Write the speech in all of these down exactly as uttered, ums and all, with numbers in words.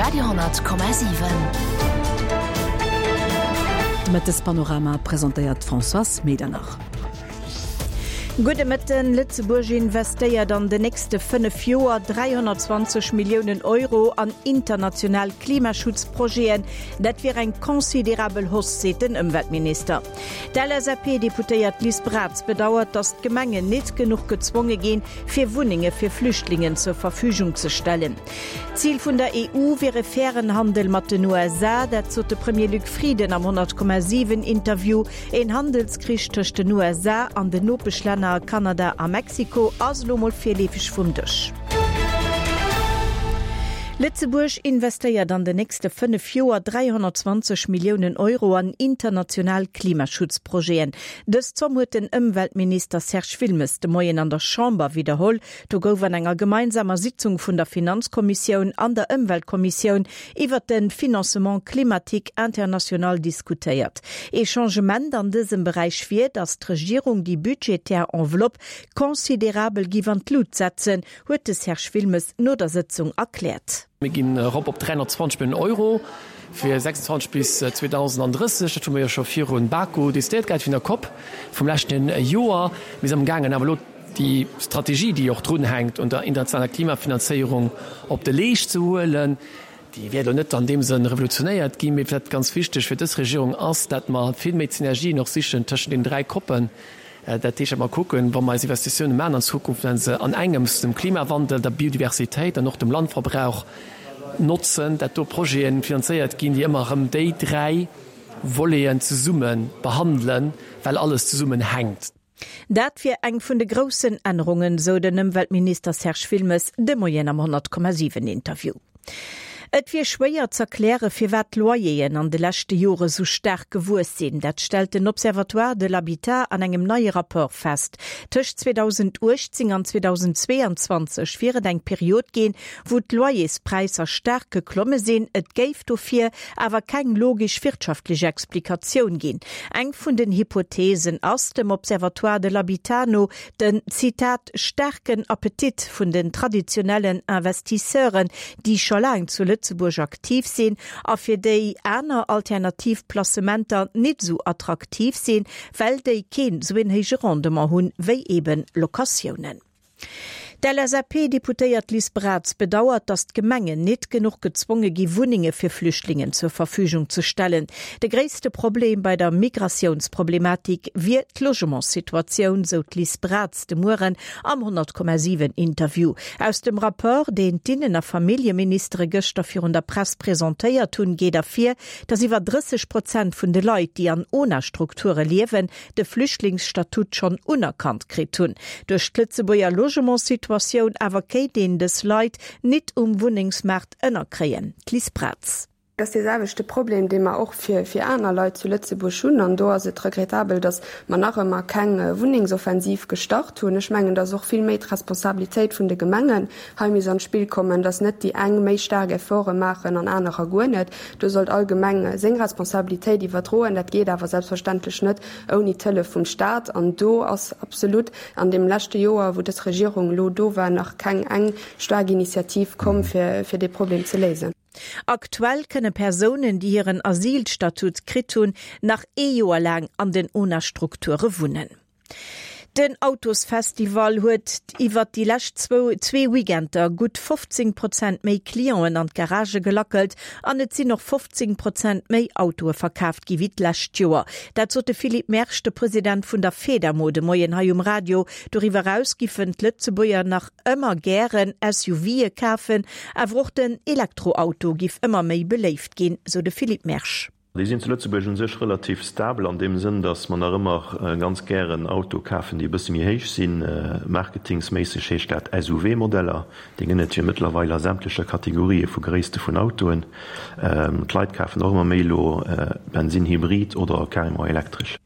Radio honnert Komma siwen. De Mëttespanorama presentéiert d'Françoise Medernach. Gudde Mëtten, Lëtzebuerg investéiert an den nächste fënnef Joer dräihonnertzwanzeg Milliounen Euro an international Klimaschutzprojeten. Dat wier eng considerabel Hausse, seet den Ëmweltminister. D'LSAP-Deputéiert Liz Braz bedauert, datt d'Gemengen net genuch gezwonge ginn, fir Wunnenge fir Flüchtlingen zur Verfügung ze stellen. Zil vun der E U wier e fairen Handel mat den U S A, dat sot de Premier Luc Frieden am honnert Komma siwen Interview. Een Handelskrich tëscht den U S A an den Nopeschlänner Kanada a Mexiko ass elo mol virleefeg vum Dësch. Lëtzebuerg investéiert an den nächste fënnef Joer dräihonnertzwanzeg Milliounen Euro an international Klimaschutzprojeten. Dës Zomm huet den Ëmweltminister Serge Wilmes de Moien an der Chamber widderholl. Do gouf an enger gemeinsamer Sitzung vun der Finanzkommissioun an der Ëmweltkommissioun iwwert de Financement climatique international diskutéiert. Ee Changement an dësem Beräich wier, datt d'Regierung déi budgetär Enveloppe considerabel giff an d'Lut setzen, huet de Serge Wilmes no der Sëtzung erkläert. Mir ginn erop op dräihonnertzwanzeg Milliounen Euro fir sechsundzwanzeg bis zweedausendandrësseg. Dat hu mir jo scho virun Baku decidéiert gehat, virun der COP vum leschten Joer. Mir sinn amgaangen awer elo déi Strategie, déi och drunhänkt un der internationaler Klimafinanzéierung, op de Leescht ze huelen. Déi wäert elo net an deem Sënn revolutionéiert ginn, mee wat ganz wichteg fir dës Regierung ass, dat mer vill méi d'Synergien och sichen tëschent den dräi COPen. Dat heescht, dat mer kucken, wa mer eis Investitiounen maachen an Zukunft, dat se an engems dem Klimawandel, der Biodiversitéit an och dem Landverbrauch notzen, dat do Projete finanzéiert ginn, déi ëmmer erëm déi dräi Voleten zesumme behandelen, well alles zesummenhänkt. Dat wier eng vun de groussen Ännerungen, sou den Ëmweltminister Serge Wilmes de Moien am honnert Komma siwen Interview. Et wier schwéier z'erkläre firwat d'Loyeren an de leschte Jore sou staark gewuess sinn. Dat stellt den Observatoire de l'Habitat an engem neie Rapport fest. Tëscht zweedausenduechtzéng an zweedausendzweeanzwanzeg wier et eng Period ginn, wou d'Loyerspräisser staark geklomme sinn. Et géif dofir awer keng logesch wirtschaftlech Explikatioun ginn. Eng vun den Hypotheesen ass dem Observatoire de l'Habitat no den, Zitat, staarken Appetit vun den traditionellen Investisseuren, déi scho laang zu Lëtzebuerg aktiv sinn a fir déi aner alternativ Placementer nit sou attraktiv sinn, well déi keen sou en héije Rendement hunn, wéi eben Locatiounen. D'LSAP-Deputéiert Liz Braz bedauert, datt d'Gemengen nit genuch gezwonge gi Wunnenge fir Flüchtlingen zur Verfügung ze stellen. De gréisste Problem bei der Migratiounsproblematik wier d'Logementssituatioun, sou d'Liz Braz de Mueren am honnert Komma siwen Interview. Aus dem Rapport, deen d'Innen a Familljeministere gëschter virun der Press presentéiert hunn, geet ervir, datt iwwer drësseg Prozent vun de Leit, déi an ONA-Strukture liewen, de Flüchtlingsstatut schonn unerkannt kritt hunn. Duerch d'Lëtzebuerger Logementssituatioun awer kéint een dës Leit nit um Wunnengsmaart ënnerkréien. D'Liz Braz. Dat ass dee selwechte Problem, dee mer och fir, fir aner Leit zu Lëtzebuerg hunn. An do ass et regrettabel, datt mer nach ëmmer keng Wunnengsoffensiv gestart hunn. Ech mengen, datt och vill méi d'Responsabilitéit vun de Gemengen hei misst an d'Spill kommen, datt net déi eng méi staark Efforte maachen an anerer guer net. Do sollt all Gemeng seng Responsabilitéit iwwerdroen. Dat geet awer selbstverständlech net ouni d'Hëllef vum Staat. An do ass absolut an deem leschte Joer, wou dës Regierung elo do war, nach keng eng staark Initiativ komm, fir, fir dee Problem ze léisen. Aktuell kënne Persounen, déi hiren Asylstatut kritt hunn, nach ee Joer laang an den ONA-Strukture wunnen. Den Autosfestival huet iwwer déi lescht zwou zwee Weekender gutt fofzéng Prozent méi Clienten an d'Garagë gelackelt an et sinn och fofzéng Prozent méi Autoe verkaaft gi wéi d'lescht Joer. Dat sot de Philippe Mersch, de President vun der Fedamo, de Moien hei um Radio. Doriwwer eraus giffen d'Lëtzebuerger nach ëmmer gären S U Vë kafen, awer och den Elektroauto giff ëmmer méi beléift ginn, sou de Philippe Mersch. Déi sinn zu Lëtzebuerg u sech relativ stabel an deem Sënn, datt mer nach ëmmer ganz gären Autoe kafen, déi e bësse méi héich sinn. Marketingsméisseg heescht dat S U V-Modeller. Déi gënn et jo mëttlerweil a sämtlecher Kategorië vu Gréisste vun Autoen. D'Leit kafen och ëmmer méi elo Bensin, Hybrid oder carrément elektresch.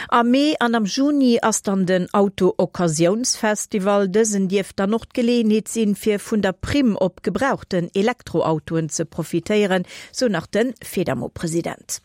Am Mee an am Juni ass dann den Auto-Occasiounsfestival. Dësen dierft dann och d'Geleeënheet sinn, fir vun der Primm op gebrauchten Elektroautoen ze profitéieren, sou nach de Fedamo-President.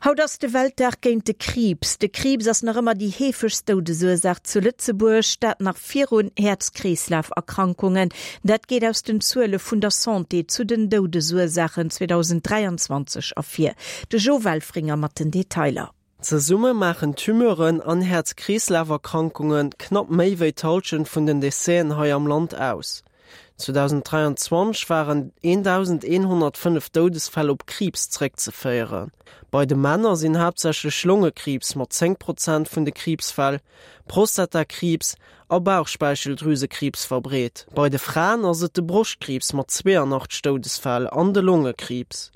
Haut ass de Weltdag géint de Kriibs. De Kriibs ass nach ëmmer déi heefegst Doudesursaach zu Lëtzebuerg, dat nach virun Häerz-Kreeslaf-Erkrankungen. Dat geet aus den Zuele vun der Santé zu den Doudesursaachen zweedausend dräianzwanzeg ervir. De Jo Welfringer mat den Detailer. Zesumme maachen Tumeuren an Häerz-Kreeslaf-Erkrankunge knapp méi wéi d'Hallschent vun den Décèsen hei am Land aus. zweedausenddräianzwanzeg waren eendausendeenhonnertfënnef Doudesfäll op Kriibs zeréckzeféieren. Bei de Männer sinn haaptsächlech Longekriibs mat zéng Prozent vun de Kriibsfäll, Prostatakriibs a Bauchspeicheldrüsekriibs verbreet. Bei de Fraen ass et de Broschtkriibs mat zweeanachtzeg Doudesfäll an de Longekriibs.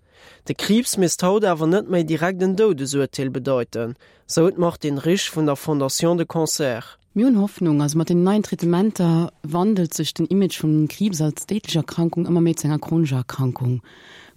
De Kriibs misst haut awer net méi direkt en Doudesurteel bedeiten, sou d'Martine Risch vun der Fondation du Cancer. Mir hunn Hoffnung. Also mat den neien Traitementer wandelt sech den Image vum Kriibs als déidlech Erkrankung ëmmer méi zu enger chronescher Erkrankung.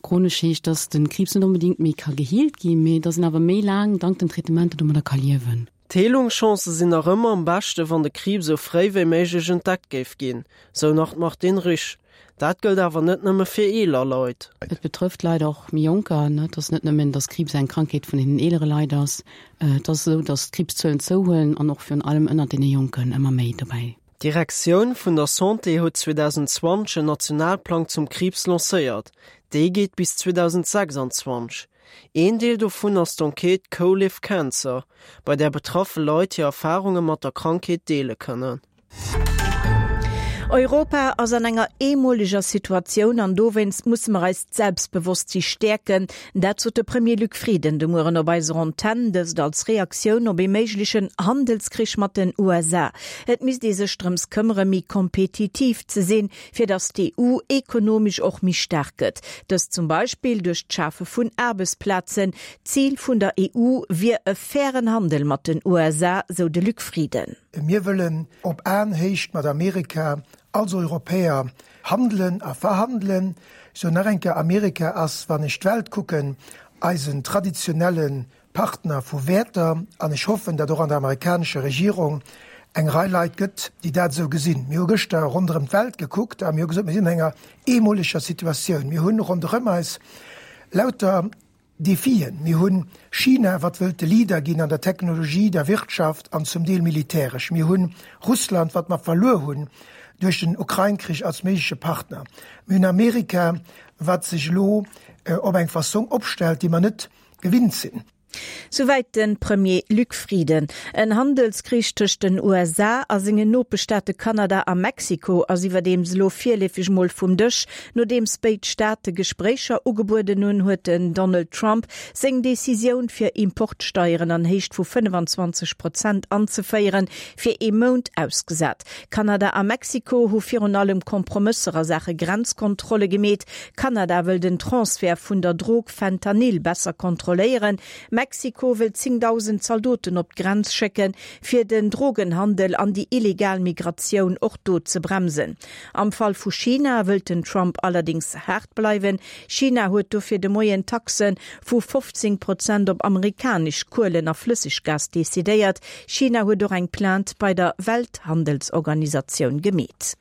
Chronesch heescht, dass den Kriibs net onbedéngt méi ka geheelt ginn, mee dass en awer méi laang dank den Traitementer domadder ka liewen. D'Heelungschancë sinn nach ëmmer am beschte wann de Kriibs sou fréi wéi méiglech entdeckt géif ginn, sou nach d'Martine Risch. Dat gëllt awer net nëmme fir eeler Leit. Et betrëfft leider och méi Jonker, et ass net nëmmen, dass Kriibs eng Krankheet vun den eelere Leit ass. Et ass esou, dass d'Kriibszuelen zouhuelen an och virun allem ënnert deene Jonken ëmmer méi dobäi. D'Direktioun vun der Santé huet zweedausendzwanzeg en Nationalplang zum Kriibs lancéiert. Dee geet bis zweedausendsechsanzwanzeg. Een Deel dovun ass d'Enquête Co-Live Cancer, bei där betraffe Leit hir Erfarunge mat der Krankheet deele kënnen. Europa ass an enger eemoleger Situatioun an dowéinst musse mer eist Selbstbewosstsi stäerken. Dat sot de Premier Luc Frieden de Mueren op eiser Antenn, dëst als Reaktioun op ee méiglechen Handelskrich mat den U S A. Et misst ee sech drëms këmmere méi kompetitiv ze sinn, fir datt d'E U ekonomesch och méi staark gëtt. Dëst zum Beispill duerch d'Schafe vun Aarbechtsplazen. Zil vun der E U wier e fairen Handel mat den U S A, sou de Luc Frieden. Mir wëllen op Aenhéicht mat Amerika als Europäer handelen a verhandelen. Sou nach eng Kéier, Amerika ass, wann ech d'Welt kucken, eisen traditionelle Partner vu Wäerter an ech hoffen, datt och an der amerikanescher Regierung eng Rei Leit gëtt, déi dat esou gesinn. Mir hu gëschter ronderëm d'Welt gekuckt a mir hu gesot, mir sinn an enger eemoleger Situatioun. Mir hunn ronderëm eis lauter Defien. Mir hunn China, wat wëllt de Leader ginn an der Technologie, der Wirtschaft an zum Deel militäresch. Mir hunn Russland, wat mer verluer hunn duerch den Ukrain-Krich als méigleche Partner. Mir hunn Amerika, wat sech elo op eng Fassong opstellt, déi mer net gewinnt sinn. Souwäit de Premier Luc Frieden. En Handelskrich tëscht den U S A a sengen Nopeschstaate Kanada a Mexiko ass iwwerdeems elo virleefeg mol vum Dësch. Nodeems béid Staate Gespréicher ugebueden hunn, huet den Donald Trump seng Decisioun fir Importsteieren an Héicht vu fënnefenzwanzeg Prozent anzeféieren, fir ee Mount ausgesat. Kanada a Mexiko hu virun allem Kompromësser a Saache Grenzkontrolle gemeet. Kanada wëll den Transfert vun der Drog Fentanyl besser kontrolléieren. Mexiko wëll zéngdausend Zaldoten op d'Grenz schécken, fir den Drogenhandel an déi illegal Migratioun och do ze bremsen. Am Fall vu China wëllt den Trump allerdéngs haart bleiwen. China huet dofir de Moien Taxe vu fofzéng Prozent op amerikanesch Kuelen a Flësseggas decidéiert. China huet och eng Plainte bei der Welthandelsorganisatioun gemeet.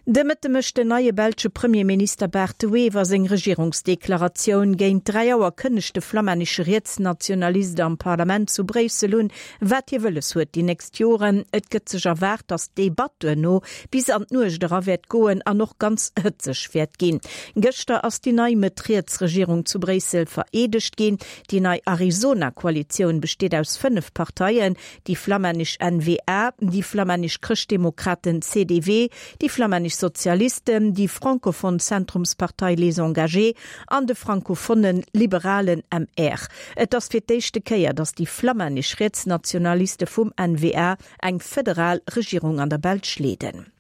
De Mëtte mécht den neie belsche Premierminister Bart De Wever seng Regierungsdeklaratioun. Géint dräi Auer kënnegt de flamännesche Rietsnationalist am Parlament zu Bréissel un, wat hie wëlles huet déi nächst Joren. Et gëtt sech erwaart, datt d'Debatt duerno bis an d'Nuecht era wäert goen an och ganz hëtzeg wäert ginn. Gëschter ass déi nei Mëtt-Riets-Regierung zu Bréissel vereedegt ginn. Déi nei Arizona-Koalitioun besteet aus fënnef Parteien, déi flamännesch N V A, déi flamännesch Chrëschtdemokraten C D W, déi flamännesch Sozialisten, déi frankophon Zentrumspartei Les Engagés an de frankophone liberalen M R. Et ass fir d'éischte Kéier, datt déi flamännesch Rietsnationaliste vum N V A eng federal Regierung an der Belsch leeden.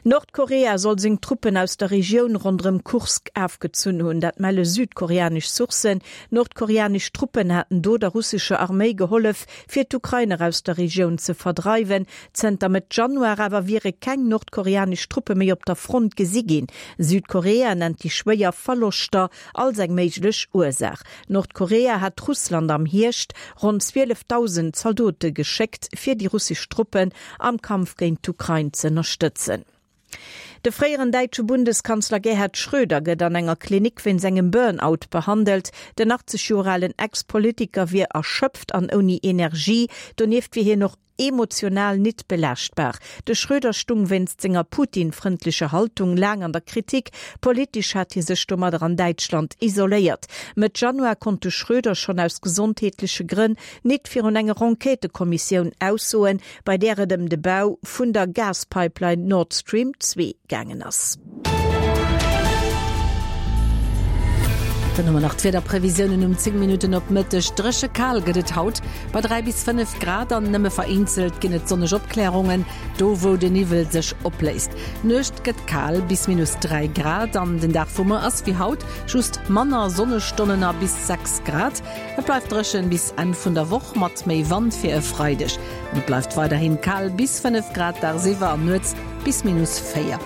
Nordkorea soll seng Truppen aus der Regioun ronderëm Kursk ofgezunn hunn, dat melle südkoreanesch Sourcen. Nordkoreanesch Truppen haten do der russescher Arméi gehollef, fir d'Ukrainer aus der Regioun ze verdreiwen. Zënter Mëtt Januar awer wiere keng nordkoreanesch Truppe méi op der Front gesi ginn. Südkorea nennt déi schwéier Verloschter als eng méiglech Ursaach. Nordkorea hat Russland am Hierscht ronn zwielefdausend Zaldote geschéckt, fir déi russesch Truppen am Kampf géint d'Ukrain ze ënnerstëtzen. De fréieren däitsche Bundeskanzler Gerhard Schröder gëtt an enger Klinik wéinst engem Burnout behandelt. Den achtzeg Joer alen Ex-Politiker wier erschöpft an ouni Energie. Donieft wier hien och emotional nit belaaschtbar. De Schröder stung wéinst senger Putin-frëndlecher Haltung laang an der Kritik. Politesch hat hie sech domadder an Däitschland isoléiert. Mëtt Januar konnt de Schröder schonn aus gesondheetleche Grënn nit virun enger Enquêtëkommissioun aussoen, bei där et ëm de Bau vun der Gaspipeline Nord Stream zwee gaangen ass. Dann hu mer nach d'Wiederprevisiounen um zéng Minutten op Mëtteg. Dréche kal gëtt et haut bei dräi bis fënnef Grad an nëmme vereenzelt ginn et sonneg Opklärungen, do wou de Niwwel sech opléist. D'Nuecht gëtt kal bis minus dräi Grad an den Dag vu muer ass wéi haut, just manner Sonnestonnen a bis sechs Grad. Et bleift dréchen bis Enn vun der Woch mat méi Wand fir e Freideg. An et bleift weiderhin kal bis fënnef Grad dagsiwwer an nuets bis minus véier.